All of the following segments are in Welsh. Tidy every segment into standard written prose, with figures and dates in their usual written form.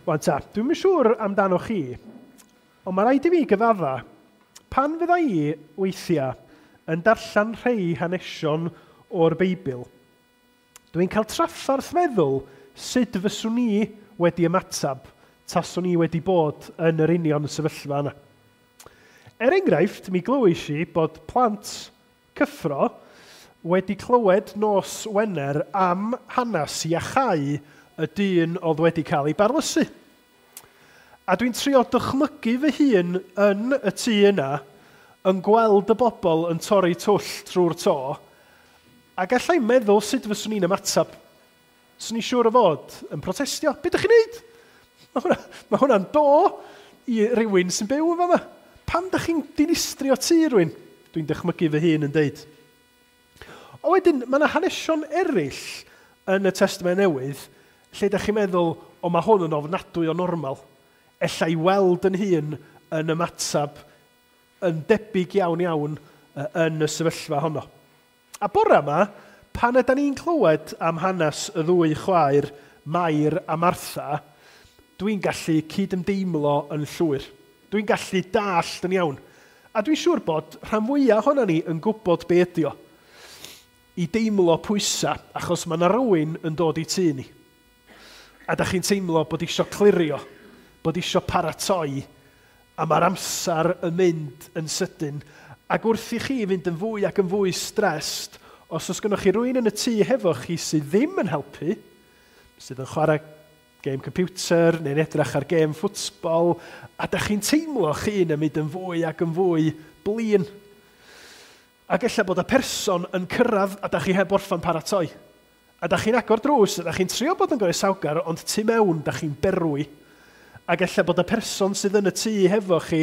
Wan ta, dwi'm yn siŵr amdano chi, ond mae rhaid i fi gyfadda, pan fydda i weithiau yn darllen rhai hanesion o'r Beibl, dwi'n cael traffarth meddwl sut fyswn i wedi ymateb taswn i wedi bod yn yr union sefyllfa yna. Er enghraifft, mi glywais i bod plant cyffro wedi clywed nos Wener am hanes iachau y dyn oedd wedi cael ei barlysu. A dwi'n trio dychmygu fy hun yn y tŷ yna, yn gweld y bobl yn torri twll trwy'r to, a gallai meddwl sut fyswn i'n ymateb. Swn i'n siŵr o fod yn protestio. Be ydych chi'n neud? Mae hwnna'n do i rywun sy'n byw yn fama. Pam ydych chi'n dinistrio tŷ rhywun? Dwi'n dychmygu fy hun yn deud. O wedyn, mae yna hanesion eraill yn y Testament Newydd lle ydych chi'n meddwl, o mae hwn yn ofnadwy o normal. Ella i weld yn hun yn ymateb yn debyg iawn iawn yn y sefyllfa honno. A bore yma, pan ydan ni'n clywed am hanes y ddwy chwaer, Mair a Martha, dwi'n gallu cydymdeimlo yn llwyr. Dwi'n gallu dallt yn iawn. A dwi'n siŵr bod rhan fwyaf ohonan ni yn gwybod be ydi o. I deimlo pwysa, achos mae yna rywun yn dod i tŷ ni. A da chi'n teimlo bod isio clirio, bod isio paratoi, a mae'r amser yn mynd yn sydyn. Ac wrth i chi fynd yn fwy ac yn fwy stressed, os oes gennych chi rywun yn y tŷ hefo chi sydd ddim yn helpu, sydd yn chwarae gêm computer neu'n edrych ar gêm ffwtbol, a da chi'n teimlo chi'n yn mynd yn fwy ac yn fwy blin. Ac ella bod y person yn cyrraedd a da chi heb orffan paratoi. A da chi'n agor drws, a da chi'n trio bod yn groesawgar, ond tu mewn da chi'n berwi. Ac ella bod y person sydd yn y tŷ hefo chi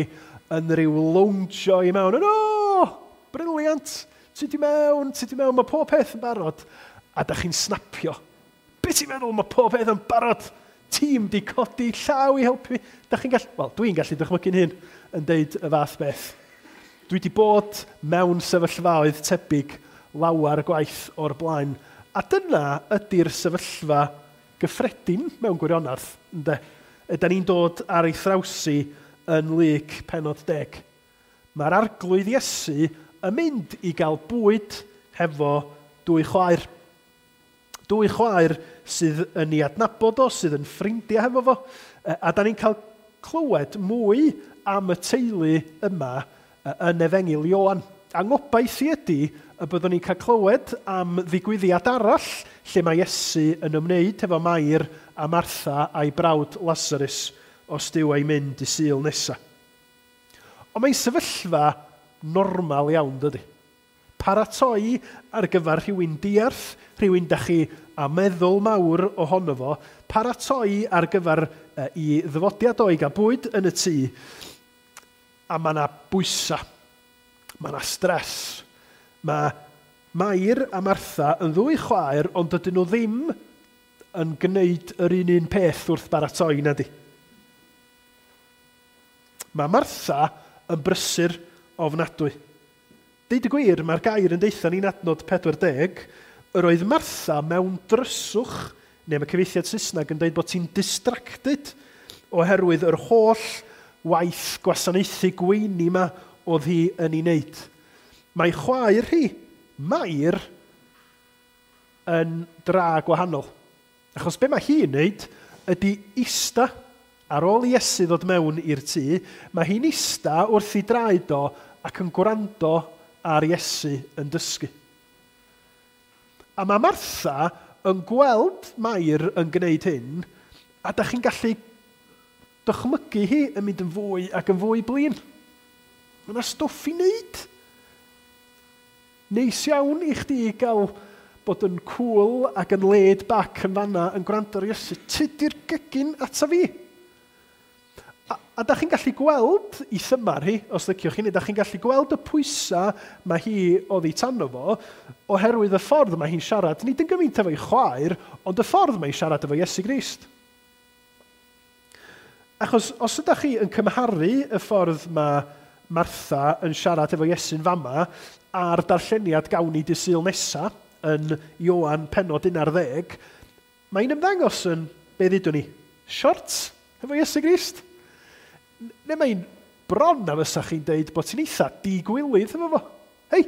yn rhyw loungio i mewn. O, brilliant! Ti di mewn, ti di mewn, mae pob peth yn barod. A da chi'n snapio. Be ti'n meddwl, mae pob peth yn barod? Tîm di codi llaw i helpu. Da chi'n gallu, wel, dwi'n gallu dychmygu'n hun yn deud y fath beth. Dwi wedi bod mewn sefyllfaoedd tebyg lawer gwaith o'r blaen. A dyna ydy'r sefyllfa gyffredin mewn gwirionedd, ynde? Ydan ni'n dod ar ei thrawsi yn Luc pennod 10. Mae'r arglwydd Iesu yn mynd i gael bwyd hefo dwy chwaer. Dwy chwaer sydd yn ei adnabod o, sydd yn ffrindiau hefo fo. A da ni'n cael clywed mwy am y teulu yma yn Efengyl Ioan. A ngobaith i ydy y byddwn ni'n cael clywed am ddigwyddiad arall lle mae Iesu yn ymwneud hefo Mair a Martha a'i brawd Lazarus os dyw ei mynd i Sul nesaf. Ond mae'n sefyllfa normal iawn, dydy. Paratoi ar gyfer rhywun diarth, rhywun da chi a meddwl mawr ohono fo, paratoi ar gyfer i ddyfodiad o i gael bwyd yn y tŷ, a mae yna bwysa, mae yna stres. Mae Mair a Martha yn ddwy chwaer, ond dydyn nhw ddim yn gwneud yr un peth wrth baratoi, na di. Mae Martha yn brysur ofnadwy. Deud y gwir, mae'r gair yn deutha ni'n adnod 40, yr oedd Martha mewn dryswch, neu mae cyfieithiad Saesneg yn dweud bod ti'n distracted oherwydd yr holl waith gwasanaethu gweini yma oedd hi yn ei wneud. Mae chwaer hi, Mair, yn dra gwahanol. Achos be mae hi'n wneud ydy ista. Ar ôl i Iesu ddod mewn i'r tŷ, mae hi'n ista wrth ei draed o ac yn gwrando ar Iesu yn dysgu. A mae Martha yn gweld Mair yn gwneud hyn, a da chi'n gallu dychmygu hi yn mynd yn fwy ac yn fwy blin. Mae yna stwff i wneud. Neis iawn i chdi gael bod yn cool ac yn laid back yn fanna yn gwrando ar Iesu. Tydi'r gegin ata fi. A da chi'n gallu gweld i thymar hi, os liciwch chi, neu da chi'n gallu gweld y pwysa mae hi oddi tano fo, oherwydd y ffordd mae hi'n siarad, nid yn gymaint efo'i chwaer, ond y ffordd mae hi'n siarad efo Iesu Grist. Achos os ydych chi yn cymharu y ffordd mae Martha yn siarad efo Iesu'n fama a'r darlleniad gawn ni dy Sul nesa yn Ioan pennod 11, mae'n ymddangos yn, be ddudwn ni, short? Efo Iesu Grist. Neu mae'n bron na fysa chi'n deud bod ti'n eitha digwilydd efo fo. Hei,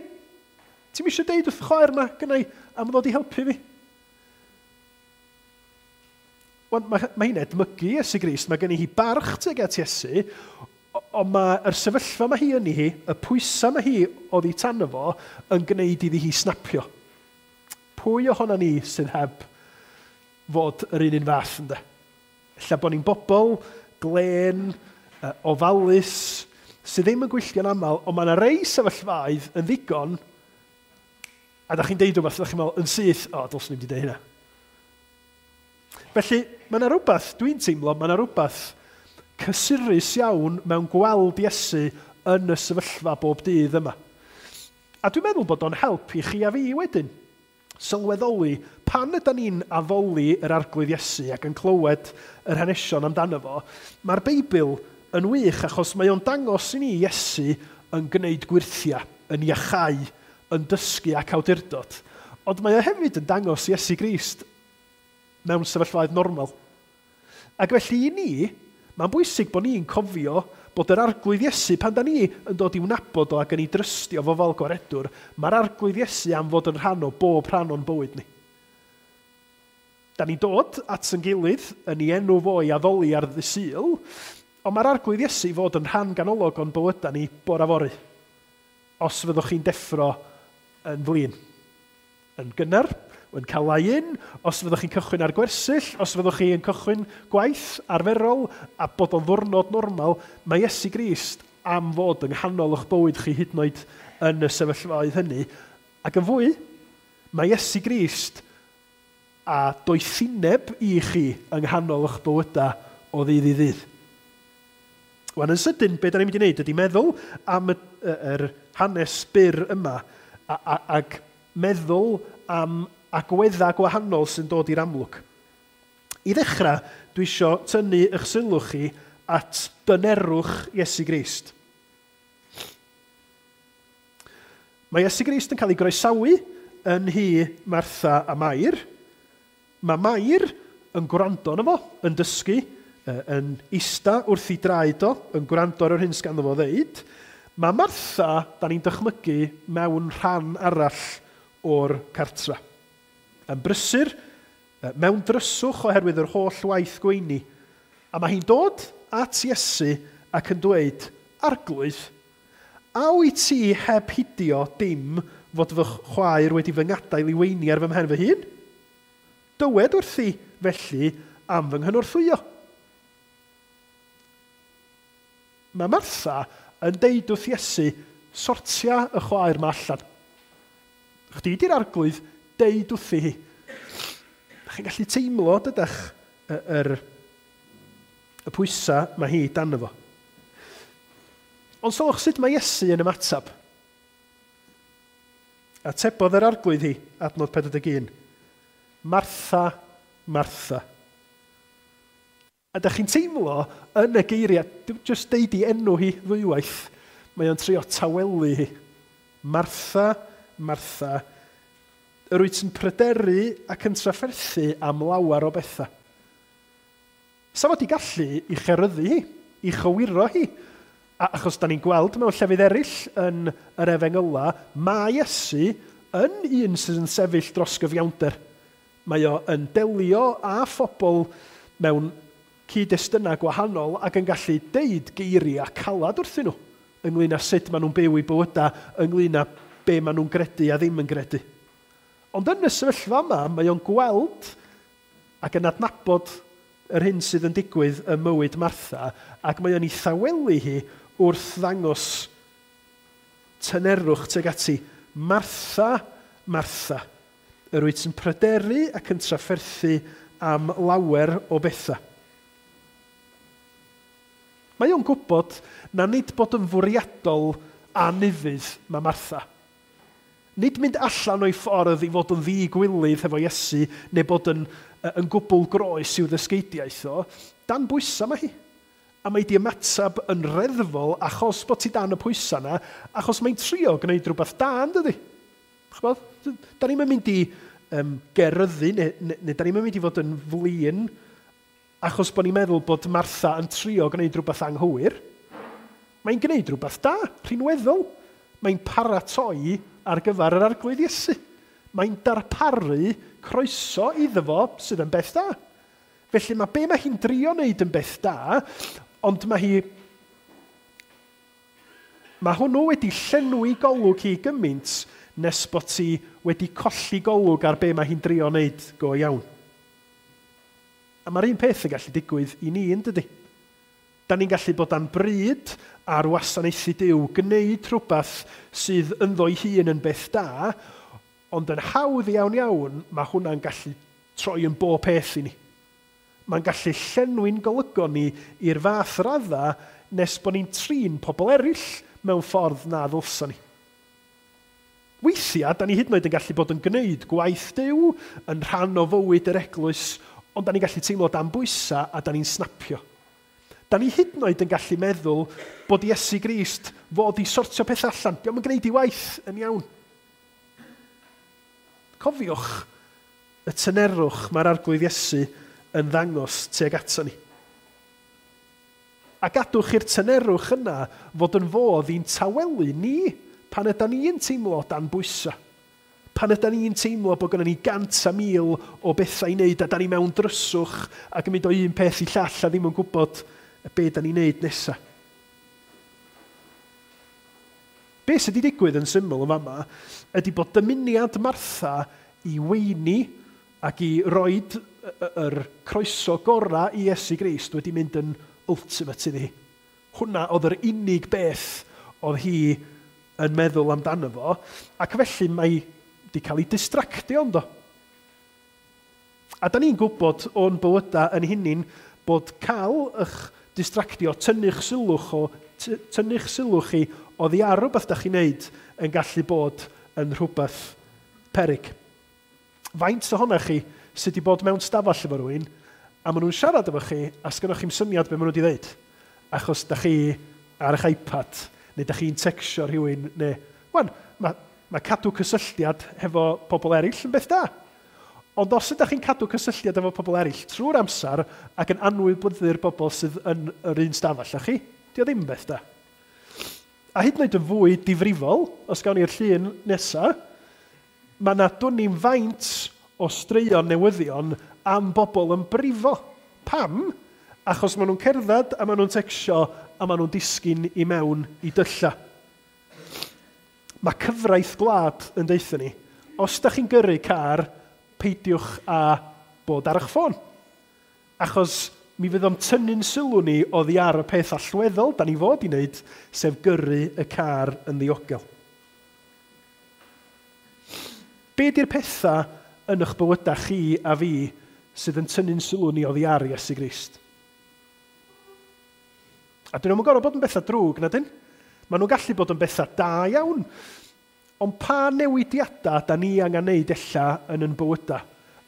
ti'n eisiau deud wrth chwaer yma gynnau am ddod i helpu fi? Wan, mae hi'n edmygu Iesu Grist, mae gen i hi barch tuag at Iesu, ond mae'r sefyllfa mae hi yn hi, y pwysau mae hi oddi tan fo, yn gwneud iddi hi snapio. Pwy ohono ni sydd heb fod yr un fath, ynddo? Ella bod ni'n bobl glên, ofalus, sydd ddim yn gwylltio'n aml, ond mae yna rei sefyllfaoedd yn ddigon, a da chi'n deud rhywbeth, da chi'n meddwl yn syth, o, dylswn i'm wedi deud hynna. Felly, mae yna rhywbeth, dwi'n teimlo, mae yna rhywbeth cysurus iawn mewn gweld Iesu yn y sefyllfa bob dydd yma. A dwi'n meddwl bod o'n help i chi a fi wedyn. Sylweddoli pan ydy ni'n addoli yr Arglwydd Iesu ac yn clywed yr hanesion amdano fo, mae'r Beibl yn wych achos mae o'n dangos i ni Iesu yn gwneud gwyrthiau, yn iachau, yn dysgu ac awdurdod. Ond mae o hefyd yn dangos Iesu Grist mewn sefyllfaoedd normal. Ac felly i ni, mae'n bwysig bod ni'n cofio bod yr Arglwydd Iesu, pan da ni yn dod i'w nabod o ac yn ei drystio fo fel gwaredwr, mae'r Arglwydd Iesu am fod yn rhan o bob rhan o'n bywyd ni. Da ni'n dod at yn gilydd yn ei enw fo i addoli ar ddydd Sul, ond mae'r Arglwydd Iesu fod yn rhan ganolog o'n bywydau ni bore fory. Os fyddwch chi'n deffro yn flin, yn gynnar, yn cael lai-in, os fyddwch chi'n cychwyn ar gwersyll, os fyddwch chi yn cychwyn gwaith arferol a bod o'n ddwrnod normal, mae Iesu Grist am fod yng nghanol eich bywyd chi hyd yn oed yn y sefyllfaoedd hynny. Ac yn fwy, mae Iesu Grist a doethineb i chi yng nghanol eich bywydau o ddydd i ddydd. Wan yn sydyn, be da ni'n mynd i wneud ydy meddwl am yr hanes byr yma ac meddwl am agweddau gwahanol sy'n dod i'r amlwg. I ddechrau, dwi isio tynnu eich sylw chi at dynerwch Iesu Grist. Mae Iesu Grist yn cael ei groesawu yn nhŷ Martha a Mair. Mae Mair yn gwrando arno fo, yn dysgu, yn ista wrth ei draed o, yn gwrando ar yr hyn sganddo fo ddeud. Mae Martha, da ni'n dychmygu, mewn rhan arall o'r cartra. Yn brysur, mewn dryswch oherwydd yr holl waith gweini. A mae hi'n dod at Iesu ac yn dweud, Arglwydd, a wyt ti heb hidio dim fod fy chwaer wedi fy ngadael i weini ar fy mhen fy hun? Dywed wrthi felly am fy nghynorthwyo. Mae Martha yn deud wrth Iesu, sortia y chwaer ma allan. Chdi di'r Arglwydd, deud wrthi hi. Da chi'n gallu teimlo dydach y pwysau mae hi dan fo. Ond sylwch sut mae Iesu yn ymateb. Atebodd yr Arglwydd hi, adnod 41. Martha, Martha. A da chi'n teimlo yn y geiriau, just deud i enw hi ddwywaith, mae o'n trio tawelu hi. Martha, Martha, yr wyt yn pryderu ac yn trafferthu am lawer o bethau. Sa fod i gallu i cheryddu hi, i chywiro hi, achos da ni'n gweld mewn llefydd eraill yn yr Efengyla, mae Iesu yn un sydd yn sefyll dros gyfiawnder. Mae o yn delio â phobl mewn cyd-destunau gwahanol ac yn gallu deud geiriau calad wrthyn nhw ynglyn â sut maen nhw'n byw eu bywydau, ynglyn â be maen nhw'n gredu a ddim yn gredu. Ond yn y sefyllfa yma, mae o'n gweld ac yn adnabod yr hyn sydd yn digwydd ym mywyd Martha, ac mae o'n ei thawelu hi wrth ddangos tynerwch tuag ati. Martha, Martha, yr wyt yn pryderu ac yn trafferthu am lawer o bethau. Mae o'n gwybod na nid bod yn fwriadol anufudd mae Martha. Nid mynd allan o'i ffordd i fod yn ddigwilydd hefo Iesu neu bod yn gwbl groes i'w ddysgeidiaeth o, dan bwysau mae hi. A mae di ymateb yn reddfol achos bod ti dan y pwysau yna, achos mae'n trio gwneud rhywbeth da, yn dydi? Ch'bod? Da ni'n mynd i geryddu, neu da ni'n mynd i fod yn flin achos bod ni'n meddwl bod Martha yn trio gwneud rhywbeth anghywir. Mae'n gwneud rhywbeth da, rhinweddol. Mae'n paratoi ar gyfer yr Arglwydd Iesu. Mae'n darparu croeso iddo fo sydd yn beth da. Felly mae be mae hi'n drio wneud yn beth da, ond mae hwnnw wedi llenwi golwg hi gymaint nes bod ti wedi colli golwg ar be mae hi'n drio wneud go iawn. A mae'r un peth yn gallu digwydd i ni, yn dydy? Da ni'n gallu bod dan bryd ar wasanaethu Duw, gwneud rhywbeth sydd ynddo'i hun yn beth da, ond yn hawdd iawn iawn, mae hwnna'n gallu troi yn bob peth i ni. Mae'n gallu llenwi'n golygon ni i'r fath radda nes bod ni'n trin pobl eraill mewn ffordd na ddylsa ni. Weithiau, da ni hyd yn oed yn gallu bod yn gwneud gwaith Duw yn rhan o fywyd yr eglwys, ond da ni'n gallu teimlo dan bwysa a da ni'n snapio. Da ni hyd yn oed yn gallu meddwl bod Iesu Grist fod i sortio peth allan. Dio'm yn gwneud ei waith yn iawn. Cofiwch y tynerwch mae'r Arglwydd Iesu yn ddangos tuag ato ni. A gadwch i'r tynerwch yna fod yn fodd i'n tawelu ni pan ydan ni'n teimlo dan bwysa. Pan ydan ni'n teimlo bod gynnon ni 100,000 o bethau i wneud a da ni mewn dryswch ac yn mynd o un peth i llall a ddim yn gwybod be da ni'n wneud nesaf. Be sydd wedi digwydd yn syml yn fama ydy bod dymuniad Martha i weini ac i roid yr croeso gorau i Iesu Grist wedi mynd yn ultimate iddi. Hwna oedd yr unig beth oedd hi yn meddwl amdano fo, ac felly mae wedi cael ei distractio ynddo. A da ni'n gwybod o'n bywydau yn hunin bod cael eich distractio, tynnu'ch sylw chi oddi ar rhywbeth da chi'n neud yn gallu bod yn rhywbeth peryg. Faint ohonoch chi sydd wedi bod mewn stafell efo rhywun, a maen nhw'n siarad efo chi, a sgynnoch chi'm syniad be maen nhw wedi dweud. Achos da chi ar eich iPad, neu da chi'n tecsio rhywun, neu... Wan, mae cadw cysylltiad hefo pobl eraill yn beth da. Ond os ydych chi'n cadw cysylltiad efo pobl eraill trwy'r amser ac yn anwybyddu'r bobl sydd yn yr un stafell â chi, dio ddim yn beth da. A hyd yn oed yn fwy difrifol, os gawn ni'r llun nesaf, mae yna dwn ni'n faint o straeon newyddion am bobl yn brifo. Pam? Achos maen nhw'n cerdded a maen nhw'n tecsio a maen nhw'n disgyn i mewn i dylla. Mae cyfraith gwlad yn deutha ni. Os da chi'n gyrru car, peidiwch â bod ar eich ffôn. Achos mi fydd o'n tynnu'n sylw ni oddi ar y peth allweddol da ni fod i wneud, sef gyrru y car yn ddiogel. Be di'r pethau yn eich bywydau chi a fi sydd yn tynnu'n sylw ni oddi ar Iesu Grist? A dyn nhw'n gorfod bod yn bethau drwg, na dyn? Maen nhw'n gallu bod yn bethau da iawn. Ond pa newidiadau da ni angen neud ella yn yn bywydau,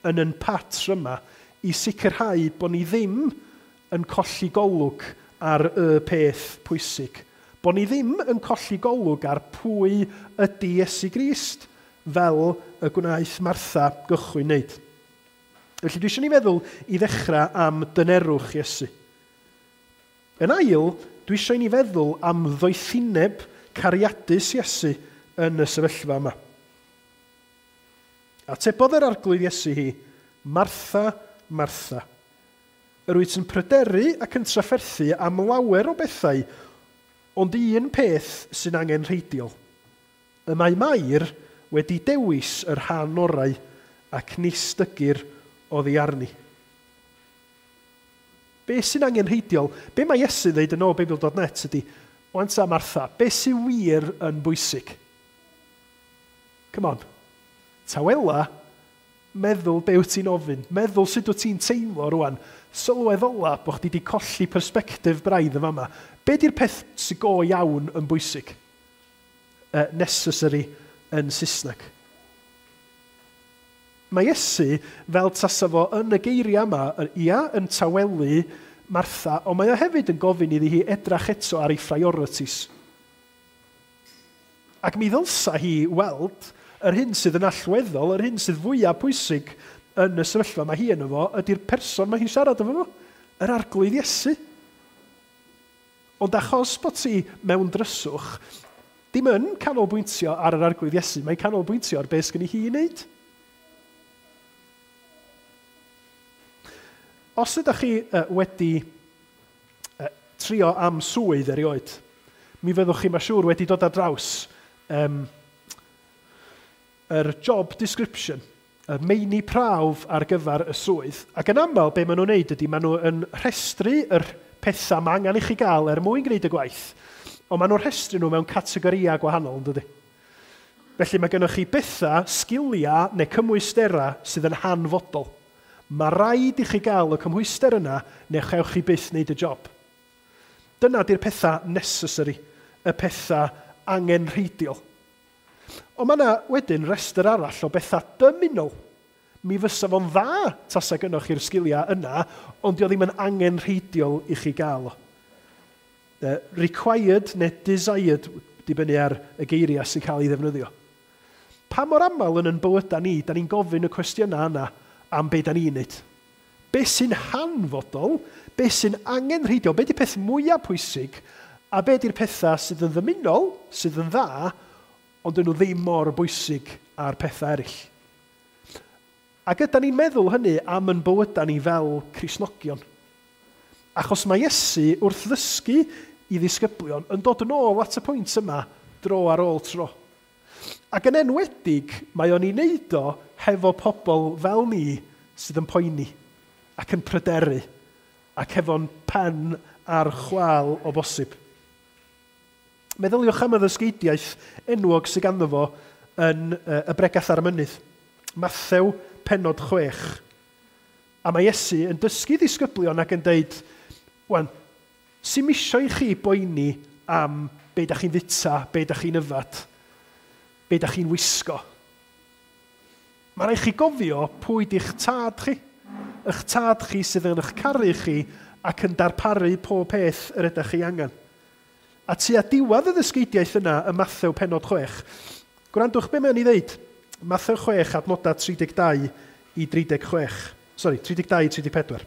yn yn patryma, i sicrhau bod ni ddim yn colli golwg ar y peth pwysig. Bod ni ddim yn colli golwg ar pwy ydy Iesu Grist, fel y gwnaeth Martha gychwyn wneud. Felly dwi eisiau ni feddwl i ddechrau am dynerwch Iesu. Yn ail, dwi eisiau ni feddwl am ddoethineb cariadus Iesu yn y sefyllfa yma. Atebodd yr Arglwydd Iesu hi, Martha, Martha, yr wyt yn pryderu ac yn trafferthu am lawer o bethau, ond un peth sy'n angenrheidiol. Y mae Mair wedi dewis yr rhan orau ac nis dygir oddi arni. Be sy'n angenrheidiol? Be mae Iesu ddeud yn ôl Beibl.net ydy, wan ta Martha, be sy'n wir yn bwysig? Come on. Tawela, meddwl be wyt ti'n ofyn, meddwl sut wyt ti'n teimlo rwan, sylweddola bod chdi wedi colli persbectif braidd yn fama. Be di'r peth sy'n go iawn yn bwysig? Necessary yn Saesneg. Mae Iesu, fel tasa fo yn y geiriau yma, ia, yn tawelu Martha, ond mae o hefyd yn gofyn iddi hi edrach eto ar ei priorities. Ac mi ddylsa hi weld yr hyn sydd yn allweddol, yr hyn sydd fwyaf pwysig yn y sefyllfa mae hi yno fo, ydy'r person mae hi'n siarad efo fo. Yr Arglwydd Iesu. Ond achos bod ti mewn dryswch, dim yn canolbwyntio ar yr Arglwydd Iesu, mae'n canolbwyntio ar beth sgynni hi i wneud. Os ydych chi wedi trio am swydd erioed, mi fyddwch chi, mae'n siŵr, wedi dod ar draws yr job description, y meini prawf ar gyfer y swydd. Ac yn aml, be maen nhw'n neud ydy, maen nhw yn rhestru yr pethau mae angen i chi gael er mwyn gwneud y gwaith, ond maen nhw'n rhestru nhw mewn categorïau gwahanol, yn dydy? Felly mae gennych chi bethau, sgiliau neu cymwysterau sydd yn hanfodol. Mae rhaid i chi gael y cymhwyster yna neu chewch chi byth wneud y job. Dyna di'r pethau necessary, y pethau angenrheidiol. Ond mae yna wedyn restr arall o bethau dymunol. Mi fysa fo'n dda tasa gynnoch chi'r sgiliau yna, ond dio ddim yn angenrheidiol i chi gael o. Required neu desired, dibynnu ar y geiriau sy'n cael ei ddefnyddio. Pa mor aml yn yn bywydau ni, da ni'n gofyn y cwestiynau yna am be da ni'n neud. Be sy'n hanfodol, be sy'n angenrheidiol, be di'r peth mwyaf pwysig, a be di'r pethau sydd yn ddymunol, sydd yn dda, ond dyn nhw ddim mor bwysig â'r pethau eraill. Ac ydy ni'n meddwl hynny am yn bywydau ni fel Cristnogion. Achos mae Iesu wrth ddysgu i ddisgyblion yn dod yn ôl at y pwynt yma dro ar ôl tro. Ac yn enwedig, mae o'n ei wneud o hefo pobl fel ni sydd yn poeni ac yn pryderu ac hefo'n pen ar chwâl o bosib. Meddyliwch am y ddysgeidiaeth enwog sydd ganddo fo yn y Bregath ar y Mynydd. Mathew pennod 6. A mae Iesu yn dysgu ddisgyblion ac yn deud, wan, sy'm isio i chi boeni am be da chi'n fita, be da chi'n yfad, be da chi'n wisgo. Mae rhaid chi gofio pwy di'ch tad chi. Eich tad chi sydd yn eich caru chi ac yn darparu pob peth yr ydych chi angen. A tua diwedd y ddysgeidiaeth yna ym Mathew pennod 6, gwrandwch be mae'n ei ddeud. Mathew 6, adnodau 32 i 36. Sorry, 32 i 34.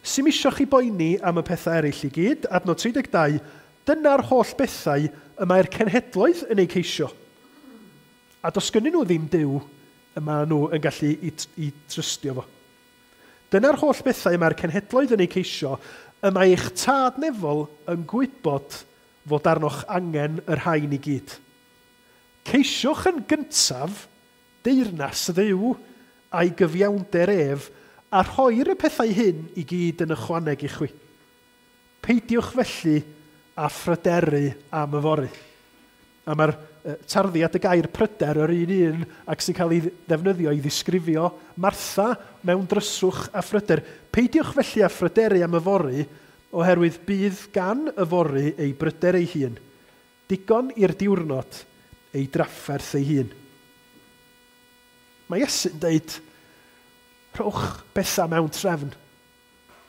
Sy'm isio chi boeni am y pethau eraill i gyd, adnod 32, dyna'r holl bethau y mae'r cenhedloedd yn eu ceisio. A does gynnyn nhw ddim Duw y maen nhw yn gallu i trystio fo. Dyna'r holl bethau y mae'r cenhedloedd yn eu ceisio, y mae eich tad nefol yn gwybod fod arnoch angen y rhain i gyd. Ceisiwch yn gyntaf deyrnas Dduw a'i gyfiawnder ef, a rhoi'r y pethau hyn i gyd yn ychwaneg i chwi. Peidiwch felly â phryderu am yfory. A mae'r tarddiad y gair pryder yr un un ac sy'n cael ei ddefnyddio i ddisgrifio Martha mewn dryswch a phryder. Peidiwch felly â phryderu am yfory, oherwydd bydd gan yfory ei bryder ei hun. Digon i'r diwrnod ei drafferth ei hun. Mae Iesu'n deud, rhowch bethau mewn trefn.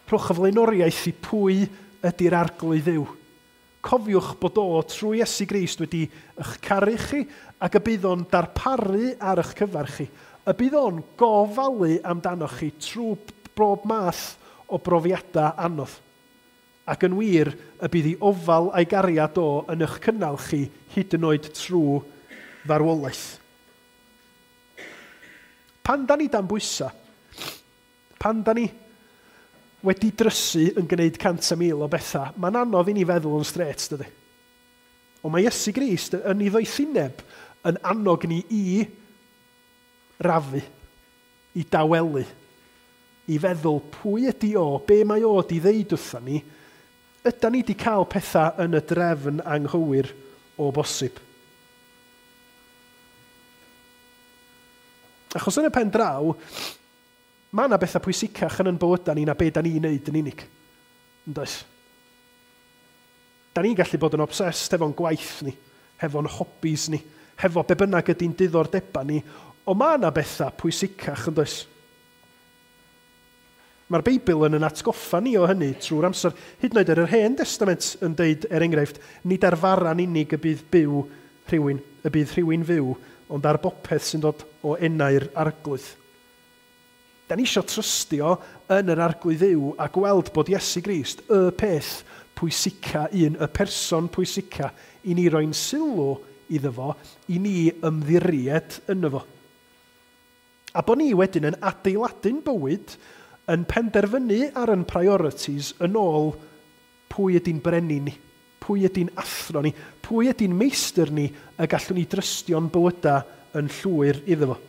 Rhowch y flaenoriaeth i pwy ydy'r Arglwydd Dduw. Cofiwch bod o trwy Iesu Grist wedi eich caru chi ac y bydd o'n darparu ar eich cyfer chi. Y bydd o'n gofalu amdanoch chi trwy bob math o brofiadau anodd. Ac yn wir, y bydd ei ofal a'i gariad o yn eich cynnal chi hyd yn oed trwy farwolaeth. Pan da ni dan bwysa, pan da ni wedi drysu yn gwneud 100,000 o bethau, mae'n anodd i ni feddwl yn straight, dydy. Ond mae Iesu Grist yn ei ddoethineb yn annog ni i rafu, i dawelu, i feddwl pwy ydy o, be mae o di ddeud wrtha ni, ydy ni di cael pethau yn y drefn anghywir o bosib. Achos yn y pen draw, mae yna bethau pwysicach yn yn bywydau ni na be da ni'n neud yn unig. Yn does? Da ni'n gallu bod yn obsessed hefo'n gwaith ni, hefo'n hobbies ni, hefo be bynnag ydy'n diddordebau ni, ond mae yna bethau pwysicach, yn does? Mae'r Beibl yn atgoffa ni o hynny trwy'r amser. Hyd yn oed ar yr Hen Testament yn deud, er enghraifft, nid ar fara'n unig y bydd byw rhywun, y bydd rhywun fyw, ond ar bopeth sy'n dod o enau'r Arglwydd. Da ni eisiau trystio yn yr Arglwydd Dduw a gweld bod Iesu Grist y peth pwysica un, y person pwysica, i ni roi'n sylw iddo fo, i ni ymddiried yno fo. A bod ni wedyn yn adeiladu'n bywyd, yn penderfynu ar yn priorities yn ôl pwy ydy'n brenin ni, pwy ydy'n athro ni, pwy ydy'n meistr ni y gallwn ni drystio'n bywydau yn llwyr iddo fo.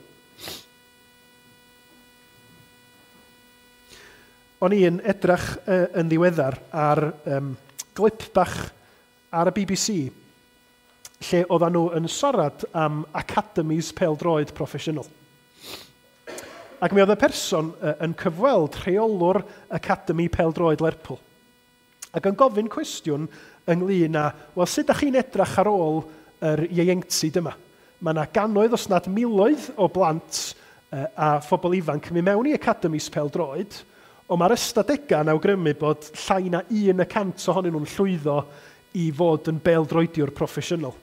O'n i'n edrach yn ddiweddar ar glip bach ar y BBC lle oedden nhw yn siarad am academies pêl-droed proffesiynol. Ac mi oedd y person yn cyfweld rheolwr Academy Pêl-droed Lerpwl. Ac yn gofyn cwestiwn ynglyn â, wel, sut ydych chi'n edrach ar ôl yr ieuenctid yma? Mae yna gannoedd, os nad miloedd, o blant a phobl ifanc yn mynd mewn i academies pêl-droed, ond mae'r ystadegau yn awgrymu bod llai na 1% ohonyn nhw'n llwyddo i fod yn bêl-droediwr proffesiynol.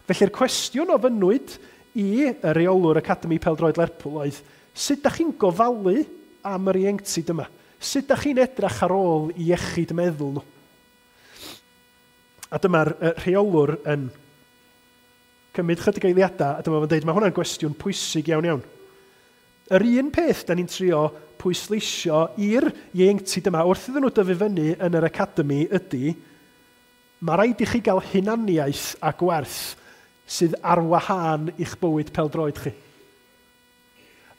Felly'r cwestiwn ofynnwyd i y rheolwr Academy Pêl-droed Lerpwl oedd, sut ydych chi'n gofalu am yr ieuenctid yma? Sut ydych chi'n edrach ar ôl i iechyd meddwl nhw? A dyma'r rheolwr yn cymryd chydig eiliadau, a dyma fo'n dweud, mae hwnna'n gwestiwn pwysig iawn iawn. Yr un peth da ni'n trio pwysleisio i'r ieuenctid yma wrth iddyn nhw dyfu fyny yn yr academy ydy, mae rhaid i chi gael hunaniaeth a gwerth sydd ar wahân i'ch bywyd pêl-droed chi.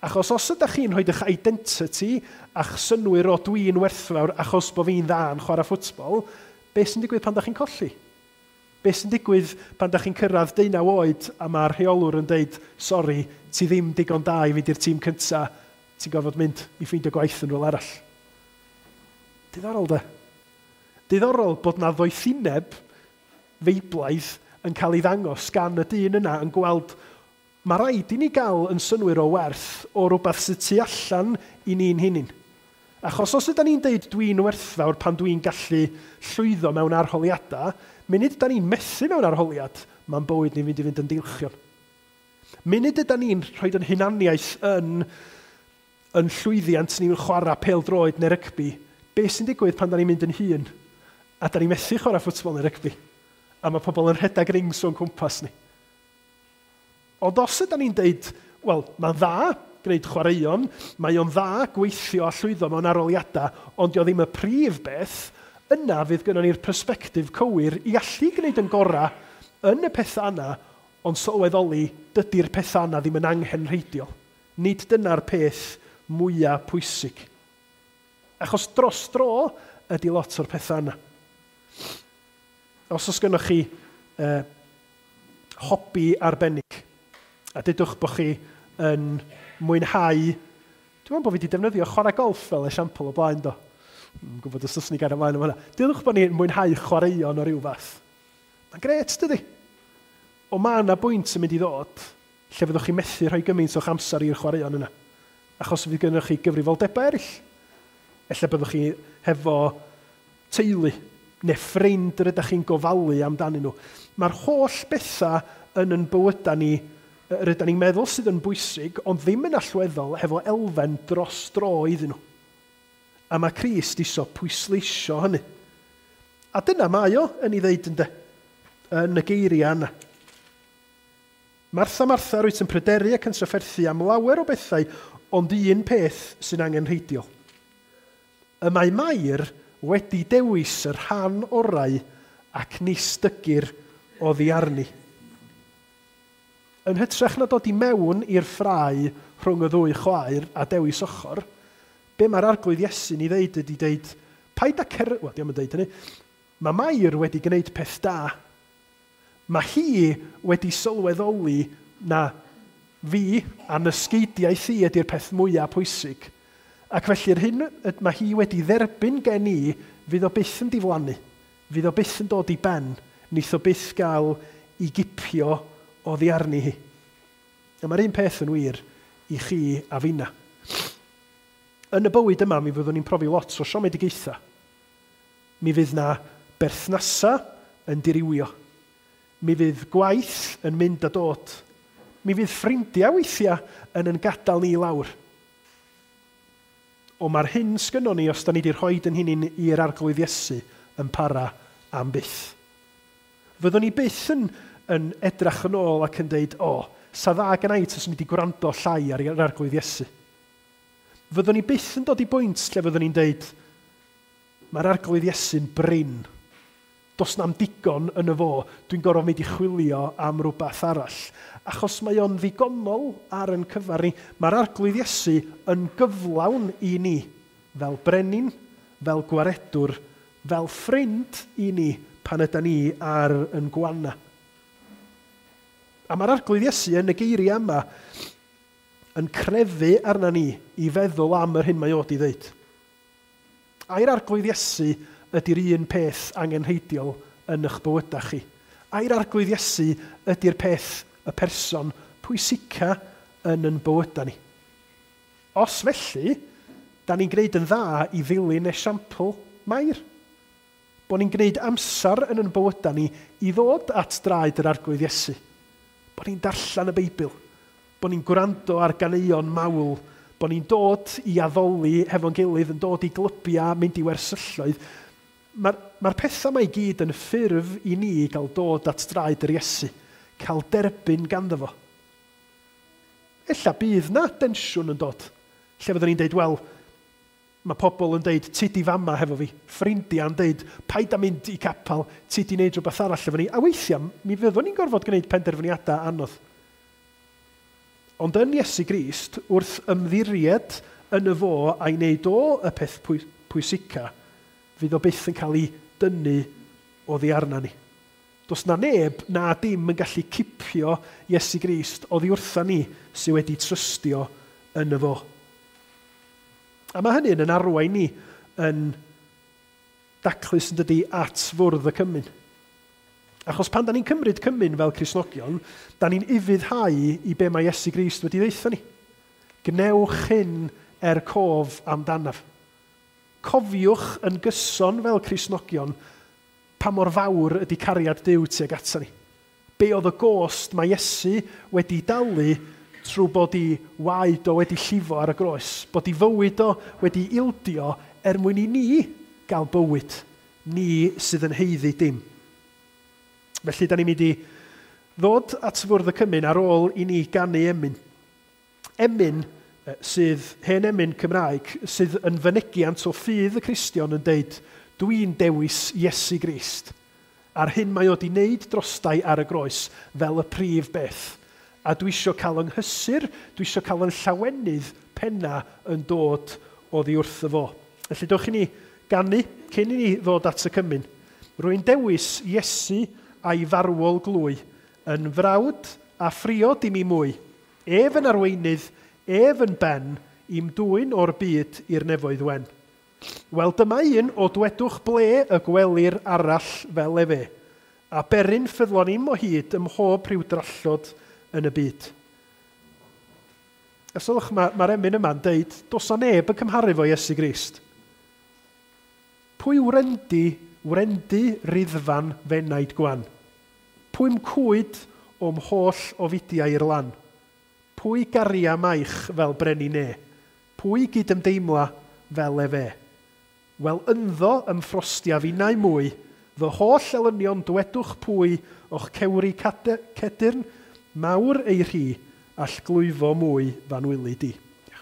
Achos os ydych chi'n rhoi eich identity a'ch synnwyr o dwi'n werthfawr achos bod fi'n dda yn chwarae ffwtbol, beth sy'n digwydd pan ydych chi'n colli? Beth sy'n digwydd pan ydych chi'n cyrraedd 19 oed a mae'r rheolwr yn deud, sori, ti ddim digon da i fynd i'r tîm cynta, ti'n gorfod mynd i ffeindio gwaith yn rhywle arall. Diddorol de. Diddorol bod na ddoethineb feiblaidd yn cael ei ddangos gan y dyn yna yn gweld mae rhaid i ni gael yn synnwyr o werth o rhywbeth sydd tu allan i ni'n hunain. Achos os ydyn ni'n deud dwi'n werthfawr pan dwi'n gallu llwyddo mewn arholiadau, munud ydyn ni'n methu mewn arholiad, mae'n bywyd ni'n mynd i fynd yn dilchion. Munud ydyn ni'n rhoi yn hunaniaeth yn llwyddiant ni'n chwarae pêl-droed neu rygbi, beth sy'n digwydd pan da ni'n mynd yn hŷn a da ni'n methu chwarae ffwtbol neu rygbi, a mae pobl yn rhedeg rings o'n cwmpas ni. Ond os ydyn ni'n deud, wel, mae'n dda gwneud chwaraeon, mae o'n dda gweithio a llwyddo mewn arholiadau, ond dio ddim y prif beth, yna fydd gynnon ni'r persbectif cywir i allu gwneud yn gorau yn y pethau yna, ond sylweddoli dydy'r pethau yna ddim yn anghenrheidiol. Nid dyna'r peth mwyaf pwysig. Achos dros dro ydy lot o'r pethau yna. Os oes gynnoch chi hobi arbennig, a dudwch bod chi yn mwynhau, dwi'n meddwl bod fi wedi defnyddio chwarae golff fel esiampl o blaen do. Dwi'n gwybod os oes ni gael ymlaen am hwnna. Dudwch bod ni'n mwynhau chwaraeon o ryw fath. Mae'n gret, dydy? Ond mae yna bwynt yn mynd i ddod lle fyddwch chi'n methu rhoi gymaint o'ch amser i'r chwaraeon yna. Achos fydd gennych chi gyfrifoldebau eraill. Ella byddwch chi hefo teulu neu ffrind yr ydych chi'n gofalu amdanyn nhw. Mae'r holl bethau yn bywydau ni, yr ydyn ni'n meddwl sydd yn bwysig, ond ddim yn allweddol hefo elfen dros dro iddyn nhw. A mae Crist isio pwysleisio hynny. A dyna mae o yn ei ddeud ynde, yn y geiriau yna. Martha, Martha, rwyt yn pryderu ac yn trafferthu am lawer o bethau, ond un peth sy'n angenrheidiol. Y mae Mair wedi dewis y rhan orau ac nis dygir oddi arni. Yn hytrach na dod i mewn i'r ffrae rhwng y ddwy chwaer a dewis ochr, be mae'r Arglwydd Iesu'n ei ddeud ydy deud, paid â wel, diom yn deud hynny, mae Mair wedi gwneud peth da. Mae hi wedi sylweddoli na fi a nysgeidiaeth hi ydy'r peth mwyaf pwysig. Ac felly'r hyn mae hi wedi dderbyn gen i, fydd o byth yn diflannu, fydd o byth yn dod i ben, neith o byth gael i gipio oddi arni hi. A mae'r un peth yn wir i chi a finna. Yn y bywyd yma, mi fyddwn ni'n profi lot o siomedigaethau. Mi fydd na berthnasau yn dirywio. Mi fydd gwaith yn mynd a dod. Mi fydd ffrindiau weithiau yn gadael ni lawr. O mae'r hyn sgynnon ni os da ni wedi rhoi yn hunain i'r Arglwydd Iesu yn para am byth. Fyddwn ni byth yn edrach yn ôl ac yn deud, o, sa dda gynna i taswn i wedi gwrando llai ar yr Arglwydd Iesu. Fyddwn ni byth yn dod i bwynt lle fyddwn ni'n deud, mae'r Arglwydd Iesu'n brin. Does na'm digon yn y fo, dwi'n gorfod mynd i chwilio am rhywbeth arall. Achos mae o'n ddigonol ar yn cyfar ni. Mae'r Arglwydd Iesu yn gyflawn i ni, fel brenin, fel gwaredwr, fel ffrind i ni pan yda ni ar yn gwana. A mae'r Arglwydd Iesu yn y geiriau yma yn crefu arna ni i feddwl am yr hyn mae o 'di ddeud. Ai'r Arglwydd Iesu ydy'r un peth angenrheidiol yn eich bywydau chi? Ai'r Arglwydd Iesu ydy'r peth, y person pwysica yn yn bywydau ni? Os felly, da ni'n gwneud yn dda i ddilyn esiampl Mair. Bod ni'n gwneud amser yn yn bywydau ni i ddod at draed yr Arglwydd Iesu. Bod ni'n darllen y Beibl. Bod ni'n gwrando ar ganeuon mawl. Bod ni'n dod i addoli hefo'n gilydd, yn dod i glybiau, mynd i wersylloedd. Mae'r pethau yma i gyd yn ffurf i ni gael dod at draed yr Iesu, cael derbyn ganddo fo. Ella bydd na densiwn yn dod, lle fyddwn ni'n deud, wel, mae pobl yn deud, ti di fama hefo fi, ffrindiau'n deud, paid â mynd i capel, ti di wneud rhywbeth arall efo ni. A weithiau, mi fyddwn ni'n gorfod gwneud penderfyniadau anodd. Ond yn Iesu Grist, wrth ymddiried yn y fo a'i wneud o y peth pwysica, fydd o byth yn cael ei dynnu oddi arna ni. Does na neb na dim yn gallu cipio Iesu Grist oddi wrtha ni sydd wedi trystio yn y fo. A mae hynny'n yn arwain ni yn daclus yn dydi at fwrdd y cymun. Achos pan da ni'n cymryd cymun fel Cristnogion, da ni'n ufuddhau i be mae Iesu Grist wedi ddeutha ni. Gnewch hyn er cof amdanaf. Cofiwch yn gyson fel Cristnogion pa mor fawr ydy cariad Duw tuag ata ni. Be oedd y gost mae Iesu wedi dalu trwy bod ei waed o wedi llifo ar y groes, bod ei fywyd o wedi ildio er mwyn i ni gael bywyd, ni sydd yn haeddu dim. Felly, da ni'n mynd i ddod at fwrdd y cymun ar ôl i ni ganu emyn. Emyn sydd, hen emyn Cymraeg, sydd yn fynegiant o ffydd y Cristion yn deud, dwi'n dewis Iesu Grist. A'r hyn mae o 'di wneud drostai ar y groes fel y prif beth. A dwi isio cael yng nghysur, dwi isio cael yn llawenydd penna yn dod oddi wrtho fo. Felly, dewch i ni ganu cyn i ni ddod at y cymun. Rwy'n dewis Iesu a'i farwol glwy, yn frawd a phriod i mi mwy. Ef yn arweinydd, ef yn ben, i'm dwyn o'r byd i'r nefoedd wen. Wel, dyma un o dwedwch ble y gwelir arall fel efe, a beryn ffyddlon im o hyd ym mhob rhyw drallod yn y byd. A sylwch, mae'r emyn yma'n deud, does na neb yn cymharu fo Iesu Grist. Pwy wrendy riddfan fenaid gwan? Pwy'm cwyd o'm holl ofidiau i'r lan? Pwy garia maich fel brenin ne? Pwy gydymdeimla fel efe? Wel, ynddo ymffrostiaf innau mwy, fy holl elynion dwedwch pwy o'ch cewri cedyrn, mawr ei rhi, all glwyfo mwy fanwylu di.